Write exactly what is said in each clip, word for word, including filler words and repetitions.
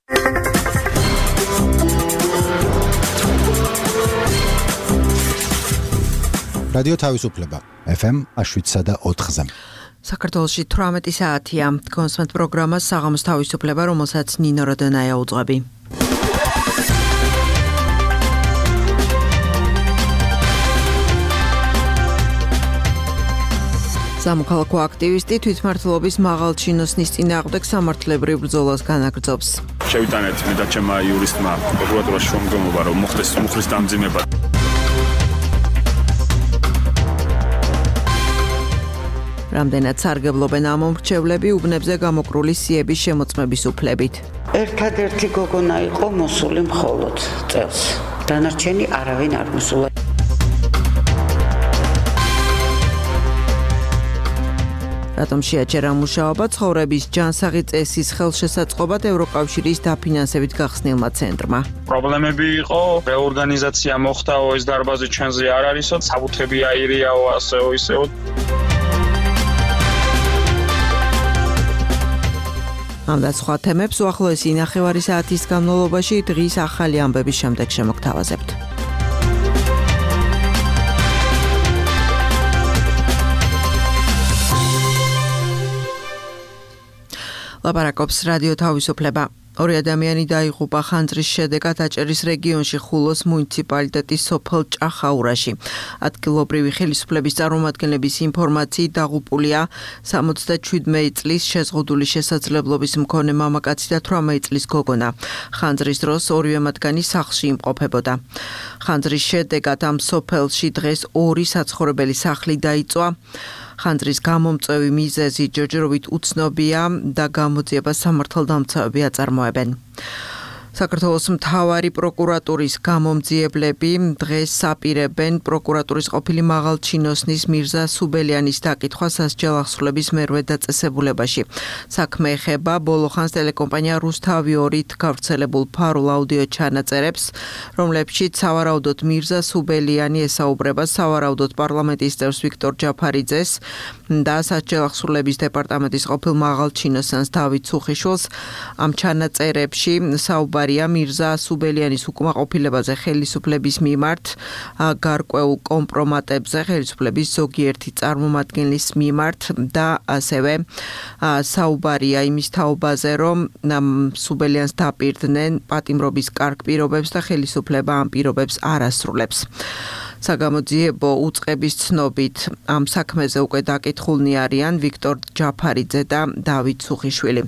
რადიო თავისუფლება ეფ ემ შვიდსა და ოთხზე. საქართველოში თვრამეტი საათია. კონსმეთ პროგრამა საღამოს თავისუფლება, რომელსაც ნინო როდონაია უძღვები. სამოქალაქო აქტივისტი თვითმმართველობის მაღალჩინოსნის წინააღმდეგ სამართლებრივ ბრძოლას განაგრძობს. შევიტანეთ მე და ჩემმა იურისტმა პროკურატურაში შრომგემობა, რომ მოხდეს მუხლის დამძიმება. რამდენად სარგებლობენ ამ მომრჩევლები უბნებზე გამოკრული სიების შემოწმების უფლებით. ერთადერთი გოგონა იყო მოსული მხოლოდ წელს. დანარჩენი არავინ არ მოსულა. რატომ შეაჩერა მუშაობა ცხოვრების ჯანსაღი წესის ხელშესაწყობად ევროკავშირის დაფინანსებით გახსნილმა ცენტრმა? პრობლემები იყო, რეორგანიზაცია მოხდაო, ეს დარბაზი ჩვენზე არ არისო, საბუთები აირიაო, ასეო ისეო. ამ და სხვა თემებს უახლოესი ნახევარი საათის განმავლობაში დღის ახალი ამბების შემდეგ შემოგთავაზებთ. ლაპარაკობს რადიო თავისუფლება. ორი ადამიანი დაიღუპა ხანძრის შედეგად აჭერის რეგიონში ხულოს მუნიციპალიტეტის სოფელ ჭახაურაში. ადგილობრივი ხელისუფლების წარმომადგენლების ინფორმაციით დაღუპულია სამოცდაშვიდმეტი წლის შეზღუდული შესაძლებლობის მქონე მამაკაცი და თვრამეტი წლის გოგონა. ხანძრის დროს ორივე მათგანი სახლში იმყოფებოდა. ხანძრის შედეგად ამ სოფელში დღეს ორი საცხოვრებელი სახლი დაიწვა. ხანძრის გამომწვევი მიზეზი ჯერჯერობით უცნობია და გამოძიება სამართალდამცავები აწარმოებენ. საქართველოს მთავარი პროკურატურის გამომძიებლები დღეს აპირებენ პროკურატურის ყოფილი მაღალჩინოსნის მირზა სუბელიანის დაკითხვა სასჯელ ახსრულების მერვე დაწესებულებაში. საქმე ეხება ბოლო ხანს ტელეკომპანია რუსთავი ორით გავრცელებულ ფარულ აუდიო ჩანაწერებს, რომლებშიც სავარაუდოდ მირზა სუბელიანი ესაუბრება სავარაუდოდ პარლამენტის წევრს ვიქტორ ჯაფარიძეს და სასჯელ ახსრულების დეპარტამენტის ყოფილ მაღალჩინოსანს დავით ცუხიშვილს. ამ ჩანაწერებში საუბარი მირზა სუბელიანის უკმაყოფილებაზე ხელისუფლების მიმართ, გარკვეულ კომპრომატებზე ხელისუფლების ზოგიერთი წარმომადგენლის მიმართ და ასევე საუბარია იმის თაობაზე, რომ სუბელიანს დაპირდნენ პატიმრობის კარგ პირობებს და ხელისუფლება ამ პირობებს არ ასრულებს. საგამოძიებო უწყების ცნობით ამ საქმეზე უკვე დაკითხულნი არიან ვიქტორ ჯაფარიძე და დავით ცუხიშვილი.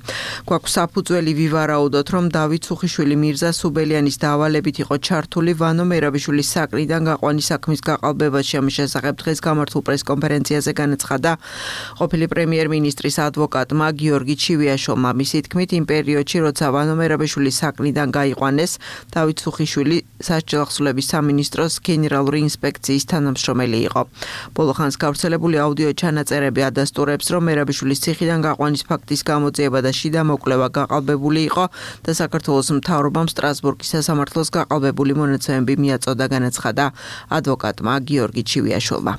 გვაქვს საფუძველი ვივარაუდოთ, რომ დავით ცუხიშვილი მირზა სუბელიანის დავალებით იყო ჩართული ვანო მერაბიშვილის საკრიდან გაყვანის საქმის გაყალბებაში. ამის შესახებ დღეს გამართულ პრესკონფერენციაზე განაცხადა ყოფილი პრემიერ-მინისტრის ადვოკატმა გიორგი ჩივიაშვილმა. მისი თქმით, იმ პერიოდში, როცა ვანო მერაბიშვილის საკრიდან გაიყვანეს, დავით ცუხიშვილი სასჯელ ახსრულების სამინისტროს გენერალური ინსპექციის თანამშრომელი იყო. ბოლო ხანს გავრცელებული აუდიო ჩანაწერები ადასტურებს, რომ მერაბიშვილის ციხიდან გაყვანის ფაქტის გამოძიება და შიდა მოკვლევა გაყალბებული იყო და საქართველოს მთავრობამ სტრასბურგის სასამართლოს გაყალბებული მონაცემები მიაწოდა, განაცხადა ადვოკატმა გიორგი ჩივიაშვილმა.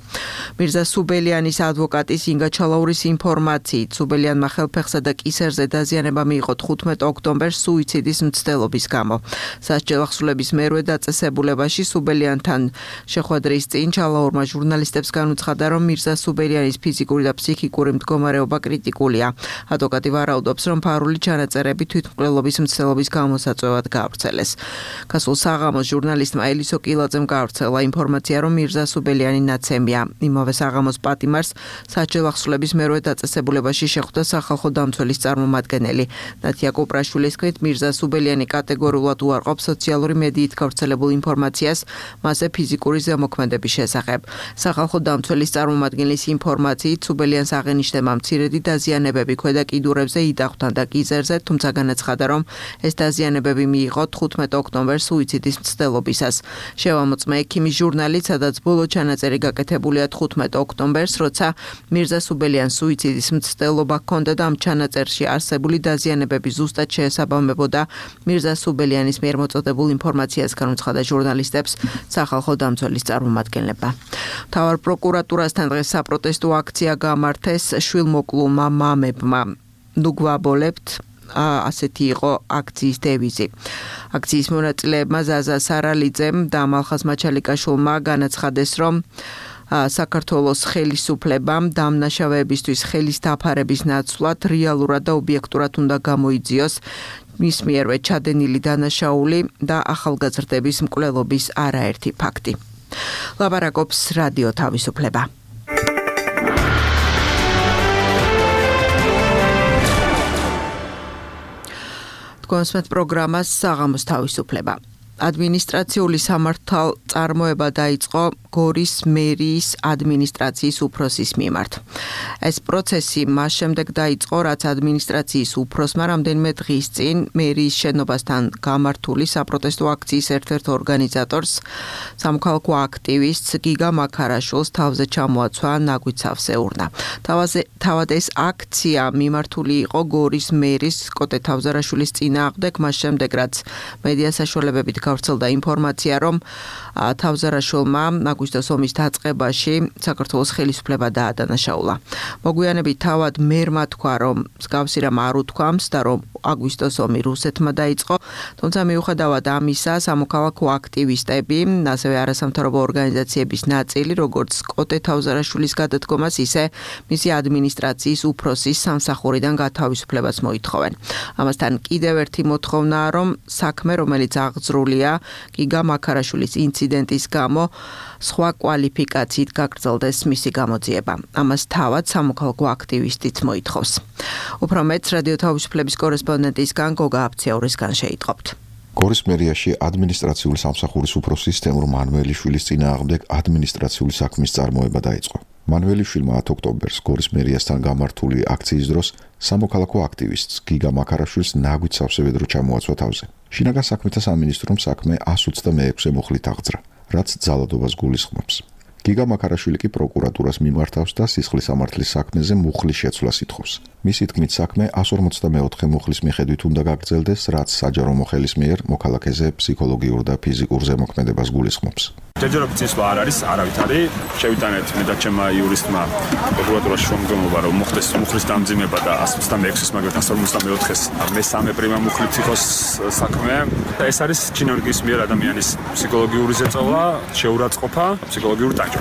მირზა სუბელიანის ადვოკატის ინგა ჩალაურის ინფორმაციით, სუბელიანმა ხელფეხსა და კისერზე დაზიანება მიიღო თხუთმეტ ოქტომბერს სუიციდის მცდელობის გამო. სასჯელ ახსრულების მერვე დაწესებულებაში სუბელიანთან შეხვედრის წინ ჩალაურმა ჟურნალისტებს განუცხადა, რომ მირზა სუბელიანის ფიზიკური და ფსიქიკური მდგომარეობა კრიტიკულია. ადვოკატი ვარაუდობს, რომ ფარული ჩანაწერები თვითმკვლელობის მცდელობის გამოსაწვევად გაავრცელეს. გასულ საღამოს ჟურნალისტმა ელისო კილაძემ გაავრცელა ინფორმაცია, რომ მირზა სუბელიანი ნაცემია. იმავე საღამოს პატიმარს სასჯელ ახსრულების მერვე დაწესებულებაში შეხვდა სახალხო დამცველის წარმომადგენელი. ნათია კუპრაშვილის თქმით, მირზა სუბელიანი კატეგორიულად უარყოფს სოციალური მედიით გავრცელებულ ინფორმაციას, მასზე ფიზიკური ზემოქმედების შესახებ. სახალხო დამცველის წარმომადგენლის ინფორმაციით, სუბელიანს აღენიშნება მცირედი დაზიანებები ქვედა კიდურებზე, იდახვთან და კიზერზე, თუმცა განაცხადა, რომ ეს დაზიანებები მიიღო თხუთმეტ ოქტომბერს სუიციდის მცდელობისას. შევამოწმე ექიმის ჟურნალით, სადაც ბოლო ჩანაწერი გაკეთებულია თხუთმეტ ოქტომბერს, როცა მირზა სუბელიანს სუიციდის მცდელობა ჰქონდა და ამ ჩანაწერში არსებული დაზიანებები ზუსტად შეესაბამებოდა მირზა სუბელიანის მიერ მოწოდებულ ინფორმაციას, განუცხადა ჟურნალისტებს სახალხო დამცველის წარმომადგენლებმა. მთავარ პროკურატურასთან დღეს საპროტესტო აქცია გამართეს შვილმოკლულმა მამებმა. ნუ გვაბოლებთ ასეთი იყო აქციის დევიზი. აქციის მონაწილეებმა ზაზა სარალიძემ და მალხაზ მაჩალიკაშვილმა განაცხადეს, რომ საქართველოს ხელისუფლებამ დამნაშავეებისთვის ხელის დაფარების ნაცვლად რეალურად და ობიექტურად უნდა გამოიძიოს მის მიერვე ჩადენილი დანაშაული და ახალგაზრდების მკვლელობის არაერთი ფაქტი. ლაპარაკობს რადიო თავისუფლება. კონსმეთ პროგრამას საღამოს თავისუფლება. ადმინისტრაციული სამართალწარმოება დაიწყო გორის მერიის ადმინისტრაციის უფროსის მიმართ. ეს პროცესი მას შემდეგ დაიწყო, რაც ადმინისტრაციის უფროსმა რამდენიმე დღის წინ მერიის შენობასთან გამართული საპროტესტო აქციის ერთ-ერთ ორგანიზატორს, სამოქალაქო აქტივისტს გიგა მაქარაშვილს თავზე ჩამოაცვა ნაგვიცავს ეურნა. თავად ეს აქცია მიმართული იყო გორის მერის კოტე თავზარაშვილის წინააღმდეგ, მას შემდეგ რაც მედია საშუალებებით გავრცელდა ინფორმაცია, რომ თავზარაშვილმა აგვისტოს ომის დაწყებაში საქართველოს ხელისუფლება დაადანაშაულა. მოგვიანებით თავად მერმა თქვა, რომ მსგავსი რამ არ უთქვამს და რომ აგვისტოს ომი რუსეთმა დაიწყო, თუმცა მიუხედავად ამისა, სამოქალაქო აქტივისტები, ასევე არასამთავრობო ორგანიზაციების ნაწილი, როგორც კოტე თავზარაშვილის გადადგომას, ისე მისი ადმინისტრაციის უფროსის სამსახურიდან გათავისუფლებას მოითხოვენ. ამასთან კიდევ ერთი მოთხოვნაა, რომ საქმე, რომელიც აღძრულია გიგა მაქარაშვილის ინციდენტის გამო, სხვა კვალიფიკაციით გაგრძელდეს მისი გამოძიება. ამას თავად სამოქალაქო აქტივისტიც მოითხოვს. უფრო მეტს რადიო თავისუფლების კორესპონდენტისგან გოგა აფციაურისგან შეიტყობთ. გორის მერიაში ადმინისტრაციული სამსახურის უფროსის თემურ მანველიშვილის წინააღმდეგ ადმინისტრაციული საქმის წარმოება დაიწყო. მანველიშვილმა ათი ოქტომბერს გორის მერიასთან გამართული აქციის დროს სამოქალაქო აქტივისტს გიგა მაქარაშვილს ნაგვით სავსე ვედრო ჩამოაცვა თავზე. შინაგან საქმეთა სამინისტრომ საქმე εκατს ოცდამეექვსე მუხლით აღძრა, რაც ძალადობას გულისხმობს. გიგა მაქარაშვილი კი პროკურატურას მიმართავს და სისხლის სამართლის საქმეზე მუხლის შეცვლას ითხოვს. მისი თქმით, საქმე εκατს ორმოცდამეოთხე მუხლის მიხედვით უნდა გაგრძელდეს, რაც საჯარო მოხელის მიერ მოქალაქეზე ფსიქოლოგიურ და ფიზიკურ ზემოქმედებას გულისხმობს. ჯერჯერობით წესვლა არ არის, არავითარი. შევიტანეთ მე და ჩემმა იურისტმა პროკურატურაში შრომგემობა, რომ მოხდეს მუხლის დამძიმება და εκατს ოცდამეექვსეს მაგრამ εκατს ორმოცდამეოთხეს მესამე პრიმა მუხლით იყოს საქმე. ეს არის ჩინურგის მიერ ადამიანის ფსიქოლოგიური ზეწოლა, შეურაცხყოფა, ფსიქოლოგიური ტანჯვა.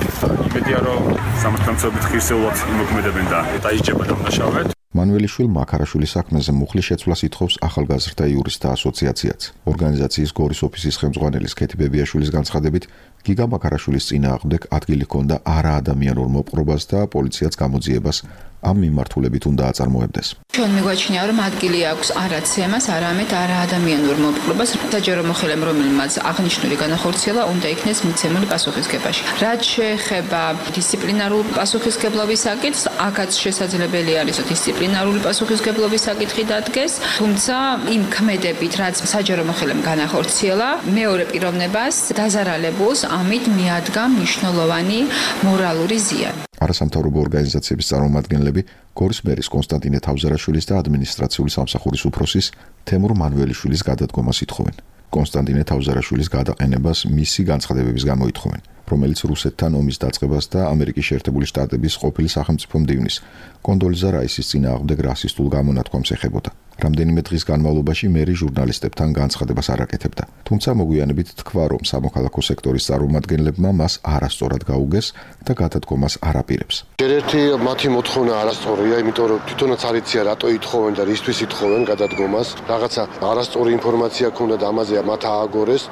იმედია, რომ სამართალმცოდნეობით ხირსეულად იმოქმედებენ და დაიჯება დამნაშავე. მანველიშვილი მაქარაშვილის საქმეზე მუხლის შეცვლას ითხოვს ახალგაზრდა იურისტთა ასოციაციაც. ორგანიზაციის გორის ოფისის ხელმძღვანელის ქეთი ბებიაშვილის განცხადებით, გიგა მაქარაშვილის წინააღმდეგ ადგილი ჰქონდა არაადამიანურ მოპყრობას და პოლიციაც გამოძიებას ამ მიმართულებით უნდა აწარმოებდეს. ჩვენ მიგვაჩნია, რომ ადგილი აქვს არა ცემას, არამედ არაადამიანურ მოპყრობას. საჯარო მოხელემ, რომელმაც აღნიშნული განახორციელა, უნდა იქნეს მიცემული პასუხისგებაში. რაც შეეხება დისციპლინარულ პასუხისგებლობის საკითხს, აქაც შესაძლებელი არის, რომ დისციპლინარული პასუხისგებლობის საკითხი დადგეს, თუმცა იმ ქმედებით, რაც საჯარო მოხელემ განახორციელა, მეორე პიროვნებას დაზარალებულს ამით მიადგა მნიშვნელოვანი მორალური ზიანი. არასამთავრობო ორგანიზაციების წარმომადგენლები გორის მერის კონსტანტინე თავზარაშვილის და ადმინისტრაციული სამსახურის უფროსის თემურ მანველიშვილის გადადგომას ითხოვენ. კონსტანტინე თავზარაშვილის გადაყენებას მისი განცხადებების გამო ითხოვენ, რომელიც რუსეთთან ომის დაწყებას და ამერიკის შეერთებული შტატების ყოფილი სახელმწიფო მდივნის კონდოლიზა რაისის წინააღმდეგ რასისტულ გამონათქვამს ეხებოდა. რამდენიმე დღის განმავლობაში მერი ჟურნალისტებთან განცხადებას არ აკეთებდა. თუმცა მოგვიანებით თქვა, რომ სამოქალაქო სექტორის წარმომადგენლებმა მას არასწორად გაუგეს და გადადგომას არ აპირებს. ერთ-ერთი მათი მოთხოვნა არასწორია, იმიტომ რომ თვითონაც არ იციან რატო ითხოვენ და რისთვის ითხოვენ გადადგომას. რაღაცა არასწორი ინფორმაცია ქონდა და ამაზე მათ ააგორეს.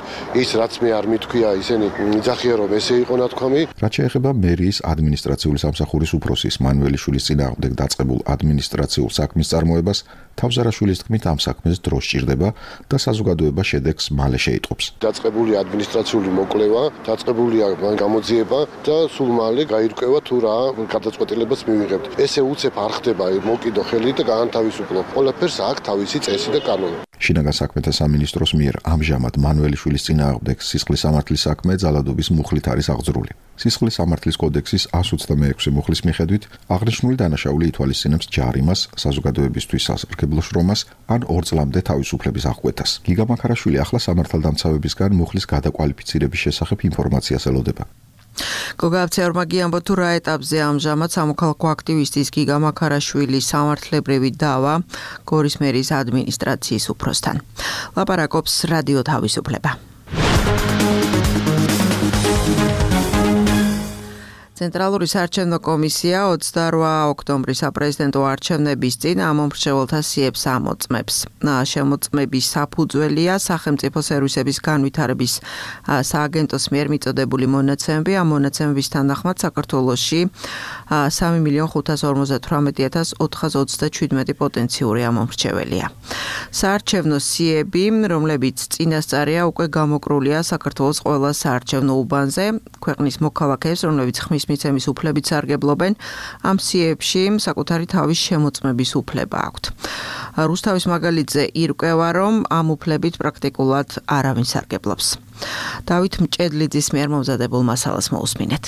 ის რაც მე არ მithქვია, ისინი იძახიან რომ ესე იყო ნათქვამი. რაც შეეხება მერიის ადმინისტრაციული სამსახურის უფროსის მანველიშვილის წინააღმდეგ დაწყებულ ადმინისტრაციულ საქმის წარმოებას, თავზარაშვილის თქმით, ამ საქმეს დრო სჭირდება და საზოგადოება შედეგს მალე შეიტყობს. დაწყებულია ადმინისტრაციული მოკვლევა, დაწყებულია გამოძიება და სულ მალე გაირკვევა თუ რა გადაწყვეტილებას მივიღებთ. ესე უცებ არ ხდება მოკიდო ხელი და გაანთავისუფლო. ყველაფერს აქვს თავისი წესი და კანონი. შინაგან საქმეთა სამინისტროს მიერ ამჟამად მანველიშვილის წინააღმდეგ სისხლის სამართლის საქმე ძალადობის მუხლით არის აღძრული. სისხლის სამართლის კოდექსის εκατს ოცდამეექვსე მუხლის მიხედვით აღნიშნული დანაშაული ითვალისწინებს ჯარიმას, საზოგადოებისთვის სასარგებლო შრომას ან ორ წლამდე თავისუფლების აღკვეთას. გიგა მაქარაშვილი ახლა სამართალდამცავებისგან მუხლის გადაკვალიფიცირების შესახებ ინფორმაციას ელოდება. გოგააფცეორმა გიამბო თუ რა ეტაპზე ამჟამად სამოქალაქო აქტივისტის გიგა მაქარაშვილის სამართლებრივი დავა გორის მერის ადმინისტრაციის უფროსთან. ლაპარაკობს რადიო თავისუფლება. ცენტრალური საარჩევნო კომისია ოცდაორ ოქტომბრის საპრეზიდენტო არჩევნების წინ ამომრჩეველთა სიებს ამოწმებს. შემოწმების საფუძველია სახელმწიფო სერვისების განვითარების სააგენტოს მიერ მიწოდებული მონაცემები. ამ მონაცემების თანახმად საქართველოში სამი მილიონი ხუთას ორმოცდათვრამეტი ათას ოთხას ოცდაჩვიდმეტი პოტენციური ამომრჩეველია. საარჩევნო სიები, რომლებიც წინასწარია უკვე გამოკრულია საქართველოს ყველა საარჩევნო უბანზე, ქვეყნის მოქალაქეებს, რომლებიც ხმის მიცემის უფლებით სარგებლობენ, ამ სიებში საკუთარი თავის შემოწმების უფლება აქვთ. რუსთავის მაგალითზე ირკვევა, რომ ამ უფლებით პრაქტიკულად არავინ სარგებლობს. დავით მჭედლიძის მიერ მომზადებულ მასალას მოусმინეთ.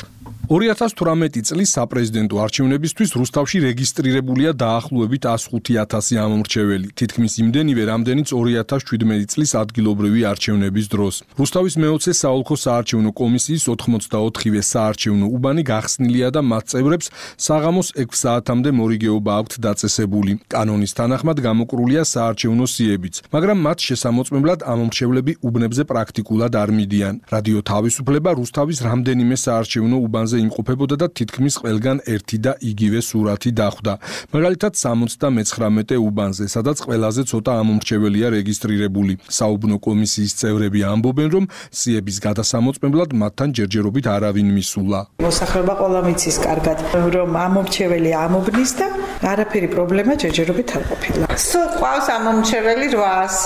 ორი ათას თვრამეტი წლის საპრეზიდენტო არჩევნებისთვის რუსთავში რეგისტრირებულია დაახლოებით ასხუთი ათასი ამომრჩეველი, თითქმის იმდენივე, რამდენიც ორი ათას შვიდმეტი წლის ადგილობრივი არჩევნების დროს. რუსთავის მეოცე საოლქო საარჩევნო კომისიის ოთხმოცდაოთხივე საარჩევნო უბანი გახსნილია და მათ წევრებს საღამოს ექვს საათამდე მორიგეობა აქვთ დაწესებული. კანონის თანახმად გამოკრულია საარჩევნო სიებიც, მაგრამ მათ შესამოწმებლად ამომრჩევლები უბნებზე პრაქტიკულად არ მიდიან. რადიო თავისუფლება რუსთავის რამდენიმე საარჩევნო უბანზე იმყოფებოდა და თითქმის ყველგან ერთი და იგივე სურათი დახვდა. მაგალითად სამოცდამეცხრამეტე უბანზე, სადაც ყველაზე ცოტა ამომრჩეველია რეგისტრირებული. საუბნო კომისიის წევრები ამბობენ, რომ სიების გადასამოწმებლად მათთან ჯერჯერობით არავინ მისულა. მოსახლეობა ყველა მიცის კარგად, რომ ამომრჩეველი ამობნის და არაფერი პრობლემა ჯერჯერობით არ ყოფილა. სულ ყავს ამომრჩეველი რვაას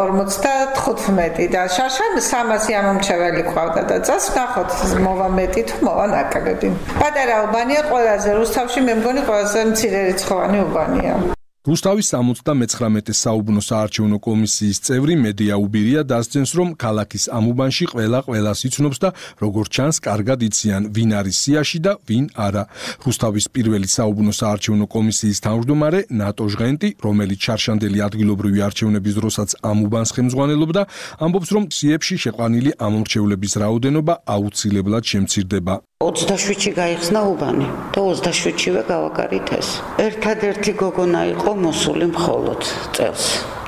ორმოცდათხუთმეტი და შაშან სამასი ამომრჩეველი ყავდა და წას ნახოთ მოვა მეტი თუ მოვა ნაკლები. პატარა უბანია ყველაზე, რუსთავში მე მგონი ყველაზე მცირერიცხოვანი უბანია. რუსთავის სამოცდამეცხრამეტე საუბნო საარჩევნო კომისიის წევრი მედია უბირია დასძენს, რომ ქალაქის ამ უბანში ყველა ყველას იცნობს და როგორც ჩანს, კარგად იციან, ვინ არის სიაში და ვინ არა. რუსთავის პირველი საუბნო საარჩევნო კომისიის თავმჯდომარე ნატო ჟღენტი, რომელიც ჩარშანდელი ადგილობრივი არჩევნების დროსაც ამ უბანს ხელმძღვანელობდა, ამბობს, რომ სიებში შეყვანილი ამომრჩევლების რაოდენობა აუცილებლად შემცირდება. ოცდაშვიდში გაიხსნა უბანი და ოცდაშვიდშივე გავაკარით ეს. ერთადერთი გოგონა იყო მოსული მხოლოდ წელს.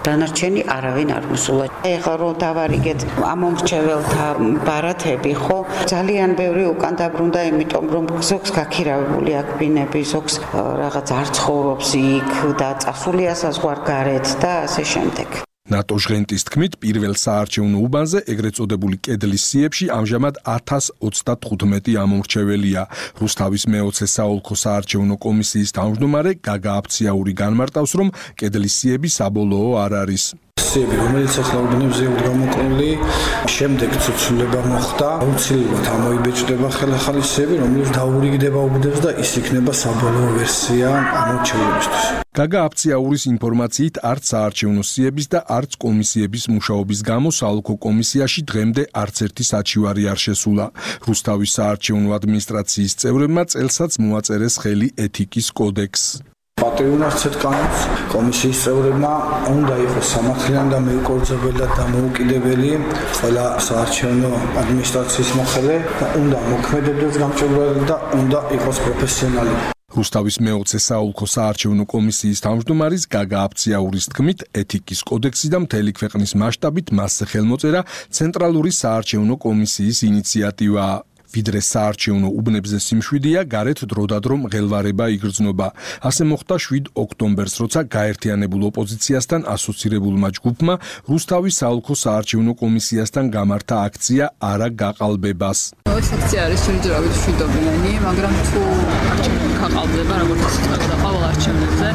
დანარჩენი არავინ არ მოსულა. ეხლა რომ დავარიგეთ ამომრჩეველთა ბარათები, ხო, ძალიან ბევრი უკან დაბრუნდა, იმიტომ რომ ზოგს გაქირავებული აქ ბინები, ზოგს რაღაც არ ცხოვრობს იქ და წასულია საზღვარგარეთ და ასე შემდეგ. ნატო ჟღენტის თქმით, პირველ საარჩევნო უბანზე, ეგრეთ წოდებული კედლის სიებში ამჟამად ათას ოცდათხუთმეტი ამომრჩეველია. რუსთავის მეოცე საოლქო საარჩევნო კომისიის თავმჯდომარე გაგა აფციაური განმარტავს, რომ კედლის სიები საბოლოო არ არის. სიები, რომელიც ახლა უბნებზე გამოკრული, შემდეგ ცოცულება მოხდა, აუცილებლად ამოიბეჭდება ხელახალი სიები, რომელიც დაურიგდება უბნებს და ის იქნება საბოლოო ვერსია ამომრჩეველებისთვის. გაგა აფციაურის ინფორმაციით არც საარჩევნო სიების და არც კომისიების მუშაობის გამო საოლქო კომისიაში დღემდე არც ერთი საჩივარი არ შესულა. რუსთავის საარჩევნო ადმინისტრაციის წევრებმა წელსაც მოაწერეს ხელი ეთიკის კოდექსს. პატრიონარცეთ კანონს კომისიის წევრებმა უნდა იყოს სამართლიანი და მეუკორძებელი და დამოუკიდებელი ყველა საარჩევნო ადმინისტრაციის მოხელე და უნდა მოქმედებდეს გამჭვირვალედ და უნდა იყოს პროფესიონალი. რუსთავის მეოცე საოლქო საარჩევნო კომისიის თავმჯდომარის გაგა აფციაურის თქმით, ეთიკის კოდექსი და მთელი ქვეყნის მასშტაბით მასზე ხელმოწერა ცენტრალური საარჩევნო კომისიის ინიციატივაა. ვიდრე საარჩევნო უბნებზე სიმშვიდეა, გარეთ დროდადრო მღელვარება იგრძნობა. ასე მოხდა შვიდ ოქტომბერს, როცა გაერთიანებულ ოპოზიციასთან ასოცირებულმა ჯგუფმა რუსთავის საოლქო საარჩევნო კომისიასთან გამართა აქცია არა გაყალბებას. ეს აქცია არის ჯერჯერობით მშვიდობიანი, მაგრამ თუ არჩევნები გაყალბდება, როგორც ისწავლება ყოველ არჩევნებზე,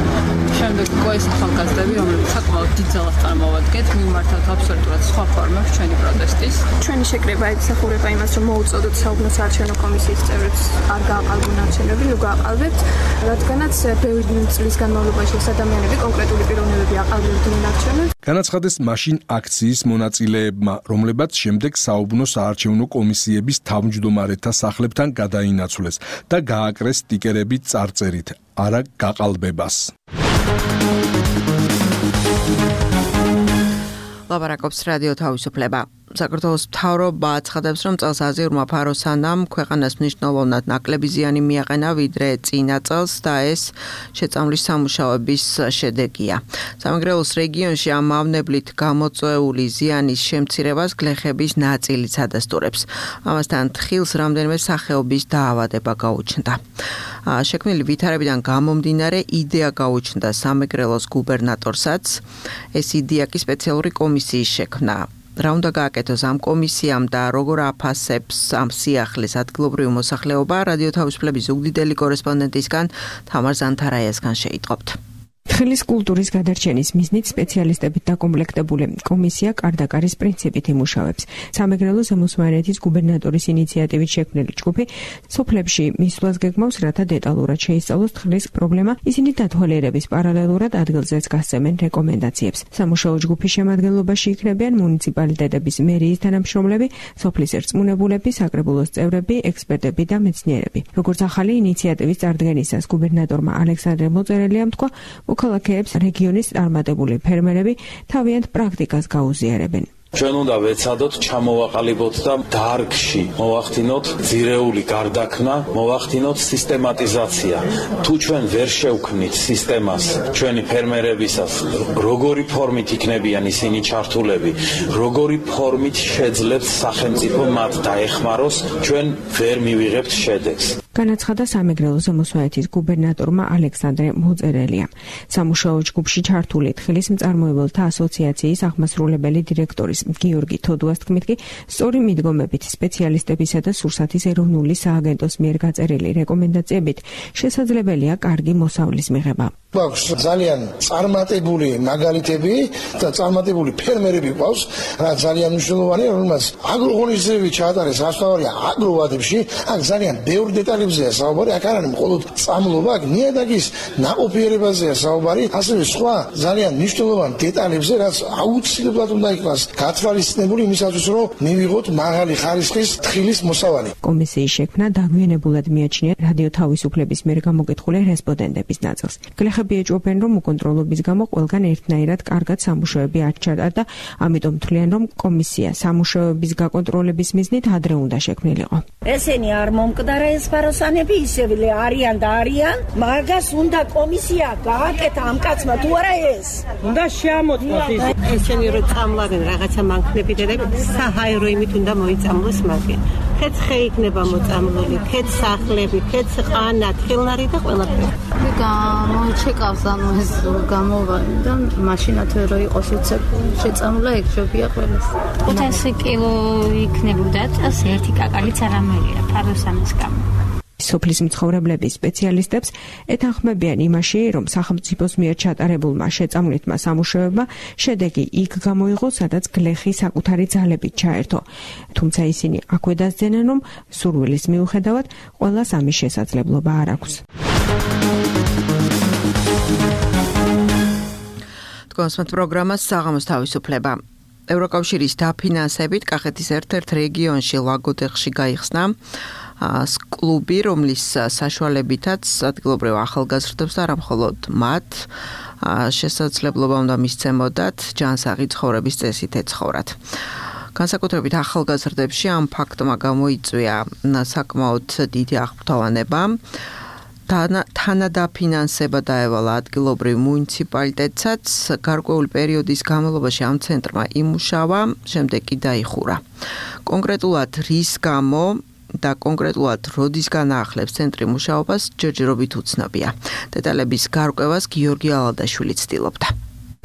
შემდეგ უკვე ეს ახალგაზრდები, რომლებიც საკმაოდ დიდ ძალას წარმოვადგენთ, მიმართავთ აბსოლუტურად სხვა ფორმებს ჩვენი პროტესტის. ჩვენი შეკრება ეხურება იმას, რომ მოუწოდოთ საუბნო საარჩევნო კომისიის წევრებს არ გააყალბონ არჩევნები, ნუ გააყალბებთ, რადგანაც ბევრი წლის განმავლობაში ეს ადამიანები კონკრეტული პიროვნებები აყალბებდნენ არჩევნებს. განაცხადეს მაშინ აქციის მონაწილეებმა, რომლებაც შემდეგ საუბნო საარჩევნო კომისიების თავმჯდომარეთა სახლებთან გადაინაცვლეს და გააკრეს სტიკერები წარწერით არა გაყალბებას. ლაპარაკობს რადიო თავისუფლება. საქართველოს მთავრობა აცხადებს, რომ წელს აზიურმა ფაროსანამ ქვეყანას მნიშვნელოვნად ნაკლები ზიანი მიაყენა ვიდრე წინა წელს და ეს შეწამვლის სამუშაოების შედეგია. სამეგრელოს რეგიონში ამ მავნებლით გამოწვეული ზიანის შემცირებას გლეხების ნაწილიც ადასტურებს. ამასთან თხილს რამდენიმე სახეობის დაავადება გაუჩნდა. შექმნილი ვითარებიდან გამომდინარე იდეა გაუჩნდა სამეგრელოს გუბერნატორსაც. ეს იდეა კი სპეციალური კომისიის შექმნა. რა უნდა გააკეთოს ამ კომისიამ და როგორ აფასებს ამ სიახლის ადგილობრივი მოსახლეობა, რადიო თავისუფლების ზუგდიდელი კორესპონდენტისგან თამარ ზანთარაიასგან შეიტყობთ. თხილის კულტურის გადარჩენის მიზნით სპეციალისტებით დაკომპლექტებული კომისია კარდაკარის პრინციპით იმუშავებს. სამეგრელოს ზემოსვანეთის გუბერნატორის ინიციატივით შექმნილი ჯგუფი სოფლებში მისვლას გეგმავს, რათა დეტალურად შეისწავლოს თხილის პრობლემა, ისინი დათვალიერების პარალელურად ადგილზეც გასცემენ რეკომენდაციებს. სამუშაო ჯგუფის შემადგენლობაში იქნებიან მუნიციპალიტეტების მერიის თანამშრომლები, სოფლის ერწმუნებულები, საკრებულოს წევრები, ექსპერტები და მეცნიერები. როგორც ახალი ინიციატივის წარდგენისას გუბერნატორმა ალექსანდრე მოწერელიამ თქვა, მოქალაქეებს რეგიონის წარმატებული ფერმერები თავიანთ პრაქტიკას გაუზიარებენ. ჩვენ უნდა ვეცადოთ, ჩამოვაყალიბოთ და დარგში მოვახდინოთ ძირეული გარდაქმნა, მოვახდინოთ სისტემატიზაცია. თუ ჩვენ ვერ შევქმნით სისტემას ჩვენი ფერმერებისას, როგორი ფორმით იქნებიან ისინი ჩართულები, როგორი ფორმით შეძლებს სახელმწიფო მათ დაეხმაროს, ჩვენ ვერ მივიღებთ შედეგს. განაცხადა სამეგრელოს ზემოსვანეთის გუბერნატორმა ალექსანდრე მოწერელიამ. სამუშაო ჯგუფში ჩართული თხილის მწარმოებელთა ასოციაციის აღმასრულებელი დირექტორის გიორგი თოდუას თქმით კი, სწორი მიდგომებით სპეციალისტებისა და სურსათის ეროვნული სააგენტოს მიერ გაწერილი რეკომენდაციებით შესაძლებელია კარგი მოსავლის მიღება. გვაქვს ძალიან წარმატებული მაგალითები და წარმატებული ფერმერები გვაქვს, რაც ძალიან მნიშვნელოვანია, რომელსაც აგროღონისძიებები ჩაატარეს რასთავარია აგროვადებში, აქ ძალიან ბევრ დეტალებზეა საუბარი, აქ არ არის მხოლოდ წამლობა, აქ ნიადაგის ნაყოფიერებაზეა საუბარი, ასევე სხვა ძალიან მნიშვნელოვან დეტალებზე, რაც აუცილებლად უნდა იქნას გათვალისწინებული იმისათვის, რომ მივიღოთ მაღალი ხარისხის თხილის მოსავალი. კომისიის შექმნა დაგვიანებულად მიაჩნია რადიო თავისუფლების მიერ გამოკითხული რესპონდენტების ნაწილს. გლეხები ეჭვობენ, რომ უკონტროლობის გამო ყველგან ერთნაირად კარგად სამუშაოები არ ჩატარდა და ამიტომ თვლიან, რომ კომისია სამუშაოების გაკონტროლების მიზნით ადრე უნდა შექმნილიყო. ესენი არ მომკვდარა ეს ფაროსანები, ისევ არიან და არიან, მაგას უნდა კომისია გააკეთა ამ კაცმა თუ არა ეს. უნდა შეამოწმოს ის. ესენი რო წამლავენ რაღაცა მანქნებიდები, საჰაერო იმით უნდა მოიწამლოს მაგე. ხეცხე იქნება მოწამლული, ხეც სახლები, ხეც ყანა, თხილნარი და ყველაფერი. გამოჩეკავს ანუ ეს გამოვალი და მაშინათ რო იყოს უცებ შეწამლა ეგრებია ყველას. ხუთასი კილო იქნებოდა წელს ერთი კაკალიც არამერია ფაროსანის გამო. სოფლის მცხოვრებლების სპეციალისტებს ეთანხმებიან იმაში, რომ სახელმწიფოს მიერ ჩატარებულმა შეწამლითმა სამუშაოებმა შედეგი იქ გამოიღო, სადაც გლეხი საკუთარი ძალებით ჩაერთო. თუმცა ისინი აქვე დასძენენ, რომ სურვილის მიუხედავად ყველას ამის შესაძლებლობა არ აქვს. კონსმეთ პროგრამას საღამოს თავისუფლება. ევროკავშირის დაფინანსებით კახეთის ერთ-ერთ რეგიონში ლაგოდეხში გაიხსნა კლუბი, რომლის საშუალებითაც ადგილობრივ ახალგაზრდებს და არა მხოლოდ მათ შესაძლებლობა უნდა მისცემოდათ ჯანსაღი ცხოვრების წესით ეცხოვრათ. განსაკუთრებით ახალგაზრდებში ამ ფაქტმა გამოიწვია საკმაოდ დიდი აღფრთოვანება. თანადაფინანსება დაევალა ადგილობრივ მუნიციპალიტეტსაც, გარკვეული პერიოდის განმავლობაში ამ ცენტრმა იმუშავა, შემდეგ კი დაიხურა. კონკრეტულად რის გამო და კონკრეტულად როდისგან ახლებს ცენტრი მუშაობას ჯერჯერობით უცნობია. დეტალების გარკვევას გიორგი ალადაშვილი ცდილობდა.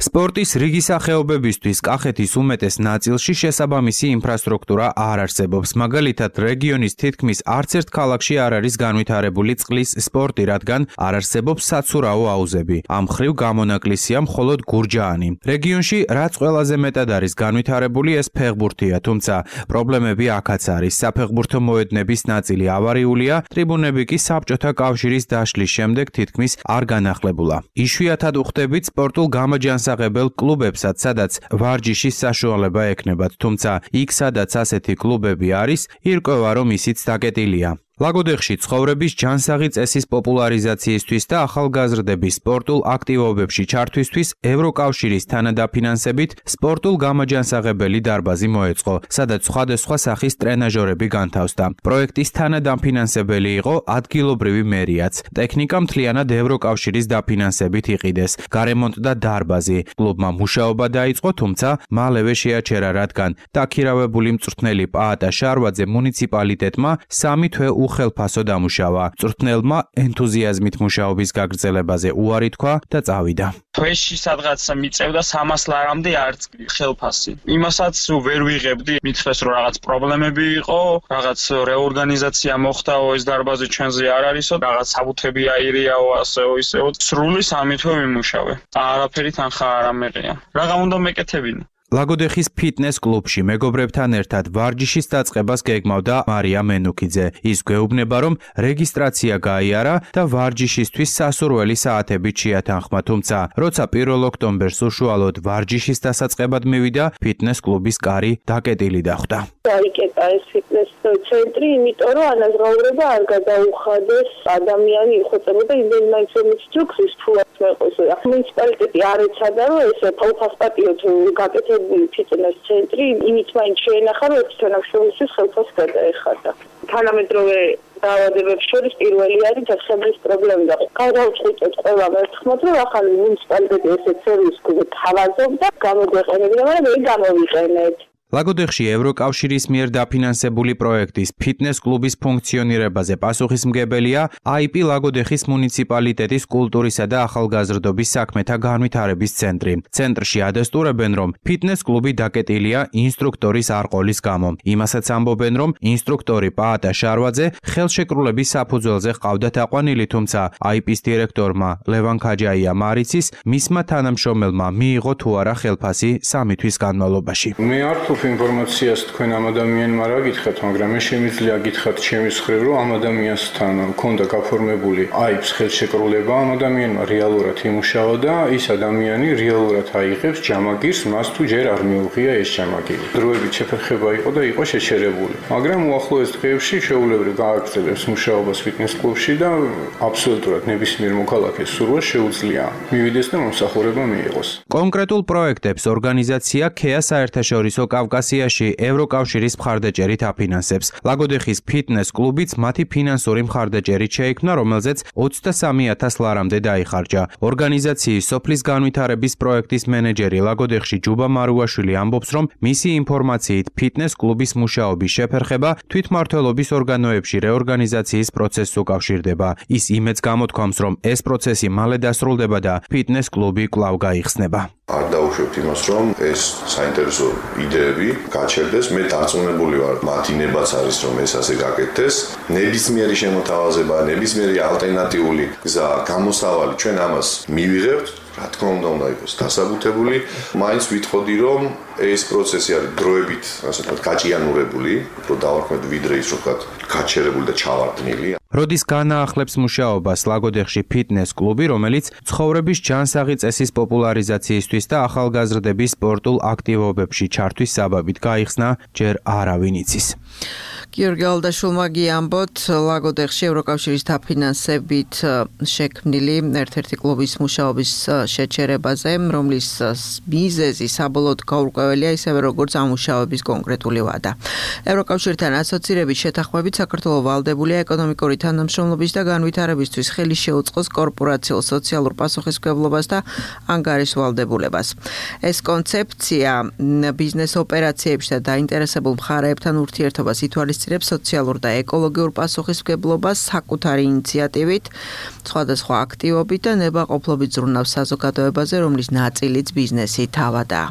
სპორტის რიგი სახეობებისთვის კახეთის უმეტეს ნაწილში შესაბამისი ინფრასტრუქტურა არ არსებობს. მაგალითად, რეგიონის თითქმის არც ერთ ქალაქში არ არის განვითარებული წყლის სპორტი, რადგან არ არსებობს საცურაო აუზები. ამ მხრივ გამონაკლისია მხოლოდ გურჯაანი. რეგიონში რაც ყველაზე მეტად არის განვითარებული, ეს ფეხბურთია, თუმცა პრობლემები აქაც არის. საფეხბურთო მოედნების ნაწილი ავარიულია, ტრიბუნები კი საბჭოთა კავშირის დაშლის შემდეგ თითქმის არ განახლებულა. იშვიათად უხდებით სპორტულ გამაჯანსაღებელ კლუბებსაც, სადაც ვარჯიშის საშუალება ექნებათ, თუმცა იქ, სადაც ასეთი კლუბები არის, ირკვევა, რომ ისიც დაკეტილია. ლაგოდეხში ცხოვრების ჯანსაღი წესის პოპულარიზაციისთვის და ახალგაზრდების სპორტულ აქტივობებში ჩართვისთვის ევროკავშირის თანადაფინანსებით სპორტულ გამაჯანსაღებელი დარბაზი მოეწყო, სადაც სხვადასხვა სახის ტრენაჟორები განთავსდა. პროექტის თანადამფინანსებელი იყო ადგილობრივი მერიაც. ტექნიკა მთლიანად ევროკავშირის დაფინანსებით იყიდეს. გარემონტდა დარბაზი. კლუბმა მუშაობა დაიწყო, თუმცა მალევე შეაჩერა, რადგან დაქირავებული მწვრთნელი პაატა შარვაძე მუნიციპალიტეტმა სამი თვე უხელფასო დამუშავა. მწვრთნელმა ენთუზიაზმით მუშაობის გაგრძელებაზე უარი თქვა და წავიდა. თვეში სადღაც მიწევდა სამას ლარამდე არც ხელფასი. იმასაც ვერ ვიღებდი, მითხრეს რომ რაღაც პრობლემები იყო, რაღაც რეორგანიზაცია მოხდაო, ეს დარბაზი ჩვენზე არ არისო, რაღაც საბუთები აირიაო, ასეო ისეო. სრული სამი თვე ვიმუშავე. არაფერი თანხა არ ამეყია. რაღა უნდა მეკეთებინო. ლაგოდეხის ფიტნეს კლუბში მეგობრებთან ერთად ვარჯიშის დაწყებას გეგმავდა მარია მენუქიძე. ის გვეუბნება, რომ რეგისტრაცია გაიარა და ვარჯიშისთვის სასურველი საათებით შეათანხმა, თუმცა როცა პირველ ოქტომბერს უშუალოდ ვარჯიშის დასაწყებად მივიდა, ფიტნეს კლუბის კარი დაკეტილი დახვდა. დაიკეტა ეს ფიტნეს ცენტრი, იმიტომ რომ ანაზღაურება არ გადაუხადეს, ადამიანი იხოცებოდა იმენ მაინც რომ ინსტრუქციის ფულს მეყოს. მუნიციპალიტეტი არ ეცადა, რომ ეს თვალსაჩინოდ გაკეთებინა ფიტნეს ცენტრი, იმით მაინც შეენახა, რომ ეს თანამშრომლისთვის ხელფასს გადაეხადა. თანამედროვე დაავადებებს შორის პირველი არის დასაბლის პრობლემა და გადავწყვიტეთ ყველა ერთხმად, რომ ახალი მუნიციპალიტეტი ესეთ სერვისს თავაზობდა, გამოგვეყენებინა, მაგრამ ვერ გამოვიყენეთ. ლაგოდეხში ევროკავშირის მიერ დაფინანსებული პროექტის ფიტნეს კლუბის ფუნქციონირებაზე პასუხისმგებელია აი პი ლაგოდეხის მუნიციპალიტეტის კულტურისა და ახალგაზრდობის საქმეთა განვითარების ცენტრი. ცენტრში ადასტურებენ, რომ ფიტნეს კლუბი დაკეტილია ინსტრუქტორის არყოლის გამო. იმასაც ამბობენ, რომ ინსტრუქტორი პაატა შარვაძე ხელშეკრულების საფუძველზე ჰყავდათ აყვანილი, თუმცა აი პის დირექტორმა ლევან ქაჯაია მარიცის მისმა თანამშრომელმა მიიღო თუ არა ხელფასი სამი თვის განმავლობაში. მე არ ინფორმაციას თქვენ ამ ადამიანმა რა გითხრათ, მაგრამ მე შემიძლია გითხრათ ჩემი მხრივ, რომ ამ ადამიანთან მქონდა გაფორმებული აიპს ხელშეკრულება, ამ ადამიანმა რეალურად იმუშავა და ის ადამიანი რეალურად აიღებს ჯამაგირს, მას თუ ჯერ არ მიუღია ეს ჯამაგირი. დროებით შეფერხება იყო და იყო შეჩერებული. მაგრამ უახლოეს დღეებში შეუულებრივ გააგრძელებს მუშაობას ფიტნეს კლუბში და აბსოლუტურად ნებისმიერ მოქალაქეს სურვილს შეუძლია მივიდეს და მომსახურება მიიღოს. კონკრეტულ პროექტებს ორგანიზაცია ქეა საერთაშორისო კავკასიაში ევროკავშირის მხარდაჭერით აფინანსებს. ლაგოდეხის ფიტნეს კლუბიც მათი ფინანსური მხარდაჭერით შეიქმნა, რომელზეც ოცდასამი ათას ლარამდე დაიხარჯა. ორგანიზაციის სოფლის განვითარების პროექტის მენეჯერი ლაგოდეხში ჯუბა მარუაშვილი ამბობს, რომ მისი ინფორმაციით ფიტნეს კლუბის მუშაობის შეფერხება თვითმმართველობის ორგანოებში რეორგანიზაციის პროცესს უკავშირდება. ის იმედს გამოთქვამს, რომ ეს პროცესი მალე დასრულდება და ფიტნეს კლუბი კვლავ გაიხსნება. არ დაუშვებთ იმას, რომ ეს საინტერესო იდეები გაჩერდეს. მე დარწმუნებული ვარ, მათი ნებაც არის, რომ ეს ასე გაკეთდეს. ნებისმიერი შემოთავაზება, ნებისმიერი ალტერნატიული გზა, გამოსავალი ჩვენ ამას მივიღებთ. რა თქმა უნდა, უნდა იყოს დასაბუთებული. მაინც ვითხოვდი, რომ ეს პროცესი არის დროებით, ასე ვთქვათ, გაჭიანურებული, უფრო დავარქმევთ ვიდრე ის, რომ ვთქვათ, გაჩერებული და ჩავარდნილი. როდის განაახლებს მუშაობას ლაგოდეხში ფიტნეს კლუბი, რომელიც ცხოვრების ჯანსაღი წესის პოპულარიზაციისთვის და ახალგაზრდების სპორტულ აქტივობებში ჩართვის საბაბით გაიხსნა, ჯერ არავინ იცის. გიორგი ალდაშვილმა გიამბოთ, ლაგოდეხში ევროკავშირის დაფინანსებით შექმნილი ერთ-ერთი კლუბის მუშაობის შეჩერებაზე, რომლის მიზეზი საბოლოოდ გაურკვეველია, ისევე როგორც ამუშავების კონკრეტული ვადა. ევროკავშირთან ასოცირების შეთანხმებით საქართველოს ვალდებულია ეკონომიკური თანამშრომლობის და განვითარებისთვის ხელი შეუწყოს კორპორაციულ სოციალურ პასუხისმგებლობას და ანგარიშ ვალდებულებას. ეს კონცეფცია ბიზნეს ოპერაციებში და დაინტერესებულ მხარეებთან ურთიერთობას ითვალისწინებს სოციალურ და ეკოლოგიურ პასუხისმგებლობას საკუთარი ინიციატივით, სხვადასხვა აქტივობით და ნებაყოფლობით ზრუნავს საზოგადოებაზე, რომლის ნაწილიც ბიზნესი თავადაა.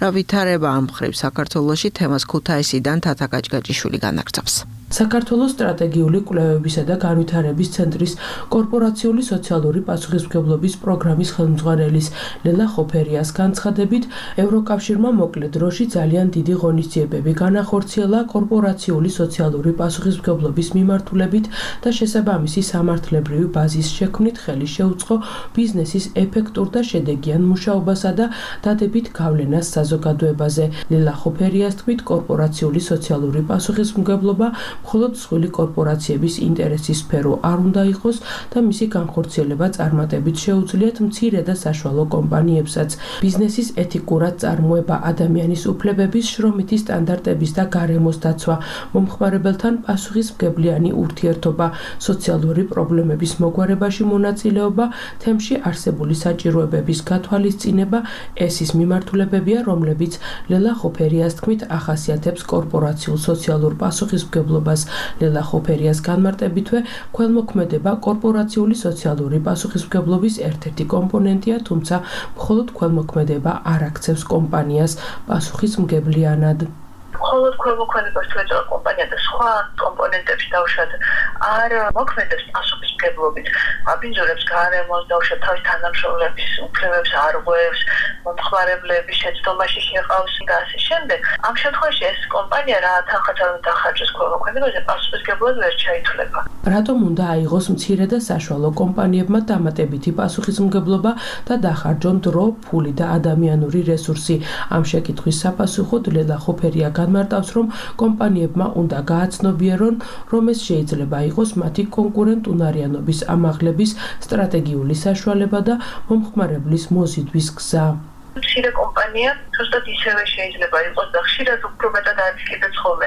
რა ვითარება ამ მხრივ საქართველოში, თემას ქუთაისიდან თათა გაჭგაჭიშვილი განაგრძობს. საქართველოს სტრატეგიული კვლევებისა და განვითარების ცენტრის კორპორაციული სოციალური პასუხისმგებლობის პროგრამის ხელმძღვანელის ლელა ხოფერიას განცხადებით, ევროკავშირმა მოკლე დროში ძალიან დიდი ღონისძიებები განახორციელა კორპორაციული სოციალური პასუხისმგებლობის მიმართულებით და შესაბამისი სამართლებრივი ბაზის შექმნით ხელი შეუწყო ბიზნესის ეფექტურ და შედეგიან მუშაობასა და დადებით გავლენას საზოგადოებაზე. ლელა ხოფერიას თქმით, კორპორაციული სოციალური პასუხისმგებლობა მხოლოდ მსხვილი კორპორაციების ინტერესის სფერო არ უნდა იყოს და მისი განხორციელება წარმატებით შეუძლიათ მცირე და საშუალო კომპანიებსაც. ბიზნესის ეთიკურად წარმოება, ადამიანის უფლებების, შრომითი სტანდარტების და გარემოს დაცვა, მომხმარებელთან პასუხისმგებლიანი ურთიერთობა, სოციალური პრობლემების მოგვარებაში მონაწილეობა, თემში არსებული საჭიროებების გათვალისწინება, ეს ის მიმართულებებია, რომლებიც ლელა ხოფერიას თქმით ახასიათებს კორპორაციულ სოციალურ პასუხისმგებლობას. ლელა ხოფერიას განმარტებითვე, ქველმოქმედება კორპორაციული სოციალური პასუხისმგებლობის ერთ-ერთი კომპონენტია, თუმცა მხოლოდ ქველმოქმედება არ აქცევს კომპანიას პასუხისმგებლიანად. მხოლოდ ქველმოქმედებას თუ ეწევა კომპანია და სხვა კომპონენტებში დავუშვათ არ მოქმედებს პასუხისმგებლობით, აბინძურებს გარემოს, დავუშვათ თავის თანამშრომლების უფლებებს არღვევს, მომხმარებლების შეცდომაში შეყავს და ასე შემდეგ. ამ შემთხვევაში ეს კომპანია რა თანხაც არ უნდა ახარჯოს ქველმოქმედებაზე, პასუხისმგებლად ვერ ჩაითვლება. რატომ უნდა აიღოს მცირე და საშუალო კომპანიებმა დამატებითი პასუხისმგებლობა და დახარჯონ დრო, ფული და ადამიანური რესურსი? ამ შეკითხვის საპასუხოდ ლელა ხოფერია განმარტავს, რომ კომპანიებმა უნდა გააცნობიერონ, რომ ეს შეიძლება იყოს მათი კონკურენტუნარიანობის ამაღლების სტრატეგიული საშუალება და მომხმარებლის მოზიდვის გზა. მცირე კომპანია ზუსტად ისევე შეიძლება იყოს და ხშირად უფრო მეტად არის კიდეც ხოლმე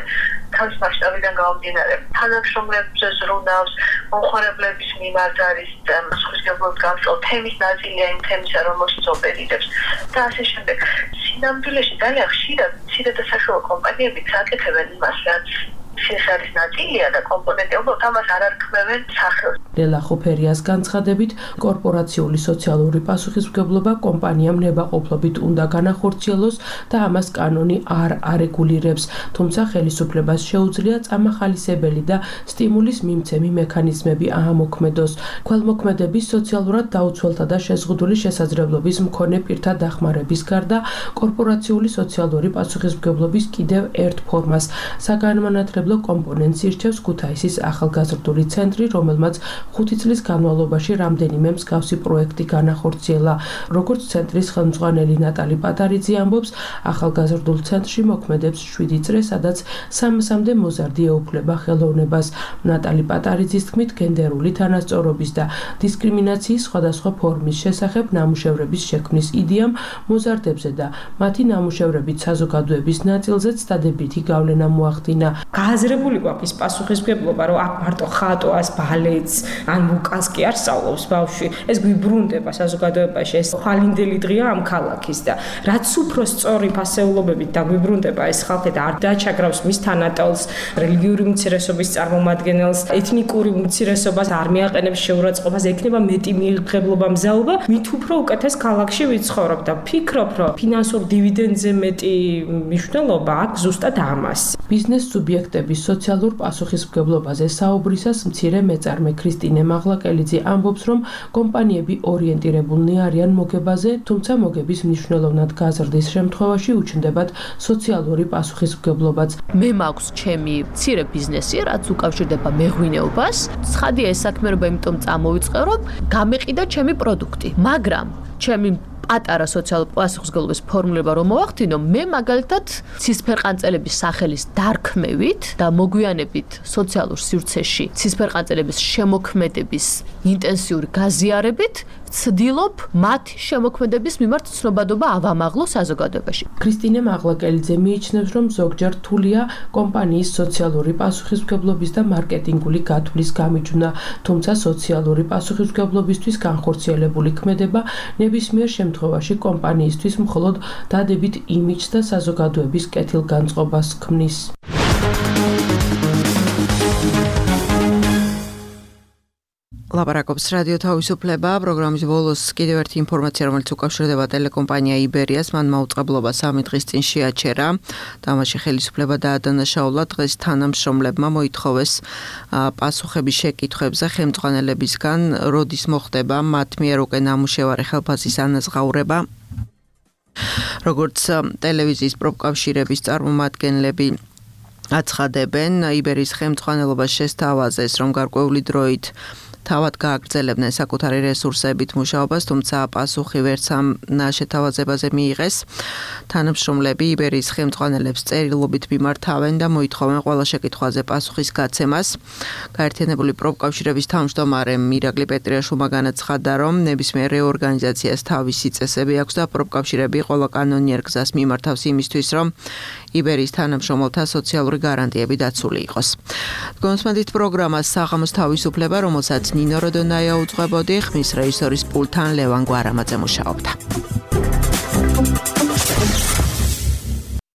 თავის მასშტაბიდან გამომდინარე. თანამშრომლებზე ზრუნავს, მომხმარებლების მიმართ არის პასუხისმგებლობით გამწვავ თემის ნაწილია იმ თემისა, რომელშიც ოპერირებს და ასე შემდეგ. სინამდვილეში ძალიან ხშირად მცირე და საშუალო კომპანიები აკეთებენ იმას, რაც ეს არის ნაწილია და კომპონენტი, უბრალოდ ამას არ არქმევენ სახელს. ლელა ხოფერიას განცხადებით, კორპორაციული სოციალური პასუხისმგებლობა კომპანიამ ნებაყოფლობით უნდა განახორციელოს და ამას კანონი არ არეგულირებს, თუმცა ხელისუფლებას შეუძლია წამახალისებელი და სტიმულის მიმცემი მექანიზმები აამოქმედოს. ქველმოქმედების სოციალურად დაუცველთა და შეზღუდული შესაძლებლობის მქონე პირთა დახმარების გარდა, კორპორაციული სოციალური პასუხისმგებლობის კიდევ ერთ ფორმას, საგანმანათლებლო კომპონენტს ირჩევს ქუთაისის ახალგაზრდული ცენტრი, რომელმაც ხუთი წლის განმავლობაში რამდენიმე მსგავსი პროექტი განახორციელა. როგორც ცენტრის ხელმძღვანელი ნატალი პატარიძე ამბობს, ახალგაზრდულ ცენტრში მოქმედებს შვიდი წრე, სადაც სამასამდე მოზარდი ეუფლება ხელოვნებას. ნატალი პატარიძის თქმით, გენდერული თანასწორობის და დისკრიმინაციის სხვადასხვა ფორმის შესახებ ნამუშევრების შექმნის იდეამ მოზარდებზე და მათი ნამუშევრებით საზოგადოების ნაწილზეც დადებითი გავლენა მოახდინა. გააზრებული გვაქვს ის პასუხისმგებლობა, რომ აქ მარტო ხატვას, ბალეტს, ან ვოკალს კი არ სწავლობს ბავშვი. ეს გვიბრუნდება საზოგადოებაში, ეს ხვალინდელი დღეა ამ ქალაქის და რაც უფრო სწორი ფასეულობებით დაგვიბრუნდება ეს ხალხი და არ დაჩაგრავს მის თანატოლს, რელიგიური უმცირესობის წარმომადგენელს, ეთნიკური უმცირესობას არ მიაყენებს შეურაცხყოფას, ექნება მეტი მიიღებლობა, მზაობა, მით უფრო უკეთეს ქალაქში ვიცხოვრობ და ფიქრობ, რომ ფინანსურ დივიდენდზე მეტი მნიშვნელობა აქვს ზუსტად ამას. ბიზნეს სუბიექტების სოციალურ პასუხისმგებლობაზე საუბრისას მცირე მეწარმე ქრისტინე მაღლაკელიძე ამბობს, რომ კომპანიები ორიენტირებულნი არიან მოგებაზე, თუმცა მოგების მნიშვნელოვნად გაზრდის შემთხვევაში უჩნდებათ სოციალური პასუხისმგებლობაც. მე მაქვს ჩემი მცირე ბიზნესი, რაც უკავშირდება მეღვინეობას. ცხადია ეს საქმიანობა იმიტომ წამოვიწყე, რომ გამეყიდა ჩემი პროდუქტი, მაგრამ ჩემი პატარა სოციალურ პასუხისმგებლობის ფორმულება რომ მოახდინო, მე მაგალითად ცისფერყანწელების სახელის დარქმევით და მოგვიანებით სოციალურ სივრცეში ცისფერყანწელების შემოქმედების ინტენსიური გაზიარებით ვცდილობ მათ შემოქმედების მიმართ ცნობადობა ავამაღლო საზოგადოებაში. ქრისტინე მაღლაკელიძე მიიჩნევს, რომ ზოგჯერ რთულია კომპანიის სოციალური პასუხისმგებლობის და მარკეტინგული გათვლის გამიჯვნა, თუმცა სოციალური პასუხისმგებლობისთვის განხორციელებული ქმედება ნებისმიერ შემთხვევაში კომპანიისთვის მხოლოდ დადებით იმიჯს და საზოგადოების კეთილგანწყობას ქმნის. ლაპარაკობს რადიო თავისუფლება, პროგრამის ბოლოს კიდევ ერთი ინფორმაცია, რომელიც უკავშირდება ტელეკომპანია იბერიას, მან მაუწყებლობა სამი დღის წინ შეაჩერა. თამაში ხელისუფლება დაადანაშაულა, დღეს თანამშრომლებმა მოითხოვეს პასუხების შეკითხვებზე ხელმძღვანელებისგან, როდის მოხდება მათ მიერ უკვე ნამუშევარი ხელფასის ანაზღაურება. როგორც ტელევიზიის პროფკავშირების წარმომადგენლები აცხადებენ, იბერიის ხელმძღვანელობას შესთავაზეს, რომ გარკვეული დროით თავად გააგრძელებდნენ საკუთარი რესურსებით მუშაობას, თუმცა პასუხი ვერც ამ შეთავაზებაზე მიიღეს. თანამშრომლები იბერიის ხელმძღვანელებს წერილობით მიმართავენ და მოითხოვენ ყველა შეკითხვაზე პასუხის გაცემას. გაერთიანებული პროფკავშირების თავმჯდომარე მირაკლი პეტრიაშვილმა განაცხადა, რომ ნებისმიერ რეორგანიზაციას თავისი წესები აქვს და პროფკავშირები ყველა კანონიერ გზას მიმართავს იმისთვის, რომ იბერიის თანამშრომელთა სოციალური გარანტიები დაცული იყოს. გონსმენდით პროგრამას საღამოს თავისუფლება, რომელსაც ნინო როდონაია უძღვებოდი, ხმის რეჟისორის პულთან ლევან გვარამაძე მუშაობდა.